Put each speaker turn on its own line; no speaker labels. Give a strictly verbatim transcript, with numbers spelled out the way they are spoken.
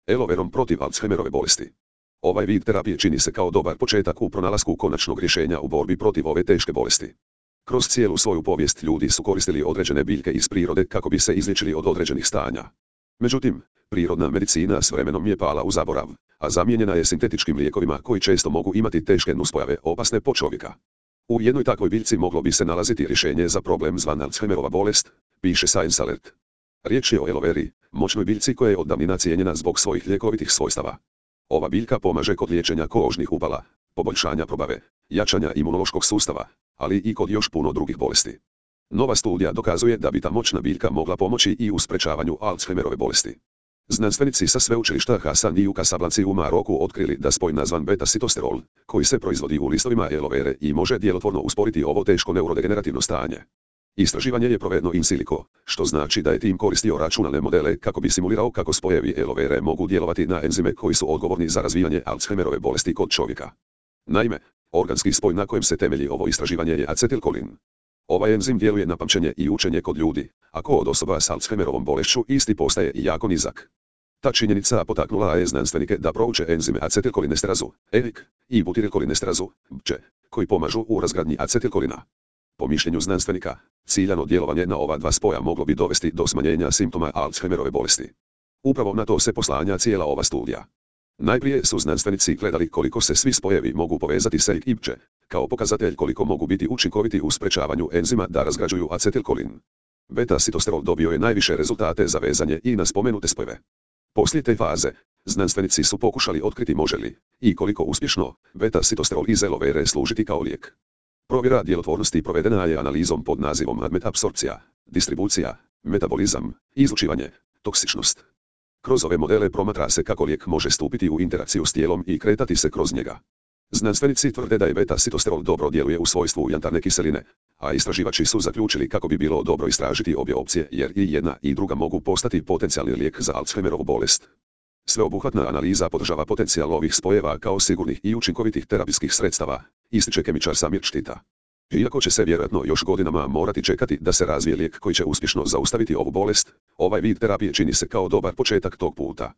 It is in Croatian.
Aloe verom protiv Alzheimerove bolesti. Ovaj vid terapije čini se kao dobar početak u pronalasku konačnog rješenja u borbi protiv ove teške bolesti. Kroz cijelu svoju povijest ljudi su koristili određene biljke iz prirode kako bi se izliječili od određenih stanja. Međutim, prirodna medicina s vremenom je pala u zaborav, a zamijenjena je sintetičkim lijekovima koji često mogu imati teške nuspojave opasne po čovjeka. U jednoj takvoj biljci moglo bi se nalaziti rješenje za problem zvan Alzheimerova bolest, piše Science Alert. Riječ je o aloe veri, moćnoj biljci koja je od davnina cijenjena zbog svojih ljekovitih svojstava. Ova biljka pomaže kod liječenja kožnih upala, poboljšanja probave, jačanja imunološkog sustava, ali i kod još puno drugih bolesti. Nova studija dokazuje da bi ta moćna biljka mogla pomoći i u sprečavanju Alzheimerove bolesti. Znanstvenici sa sveučilišta Hasan i u Casablanci u Maroku otkrili da spoj nazvan beta-sitosterol, koji se proizvodi u listovima aloe vere i može djelotvorno usporiti ovo teško neurodegenerativno stanje. Istraživanje je provedeno in silico, što znači da je tim koristio računalne modele kako bi simulirao kako spojevi aloe vere mogu djelovati na enzime koji su odgovorni za razvijanje Alzheimerove bolesti kod čovjeka. Naime, organski spoj na kojem se temelji ovo istraživanje je acetilkolin. Ovaj enzim djeluje na pamćenje i učenje kod ljudi, a kod osoba s Alzheimerovom bolešću isti postaje i jako nizak. Ta činjenica potaknula je znanstvenike da prouče enzime acetilkolinesterazu, E I C, i butilkolinesterazu, B C, koji pomažu u razgradnji acetilkolina. Po mišljenju znanstvenika, ciljano djelovanje na ova dva spoja moglo bi dovesti do smanjenja simptoma Alzheimerove bolesti. Upravo na to se poslanja cijela ova studija. Najprije su znanstvenici gledali koliko se svi spojevi mogu povezati s E I C i B C, kao pokazatelj koliko mogu biti učinkoviti u sprečavanju enzima da razgrađuju acetilkolin. Beta-sitosterol dobio je najviše rezultate za vezanje i na spomenute spojeve. Poslije te faze, znanstvenici su pokušali otkriti može li, i koliko uspješno, beta-sitosterol iz aloe vere služiti kao lijek. Provjera djelotvornosti provedena je analizom pod nazivom apsorpcija, distribucija, metabolizam, izlučivanje, toksičnost. Kroz ove modele promatra se kako lijek može stupiti u interakciju s tijelom i kretati se kroz njega. Znanstvenici tvrde da je beta-sitosterol dobro djeluje u svojstvu jantarne kiseline, a istraživači su zaključili kako bi bilo dobro istražiti obje opcije jer i jedna i druga mogu postati potencijalni lijek za Alzheimerovu bolest. Sveobuhvatna analiza podržava potencijal ovih spojeva kao sigurnih i učinkovitih terapijskih sredstava, ističe kemičar Samir Štita. Iako će se vjerojatno još godinama morati čekati da se razvije lijek koji će uspješno zaustaviti ovu bolest, ovaj vid terapije čini se kao dobar početak tog puta.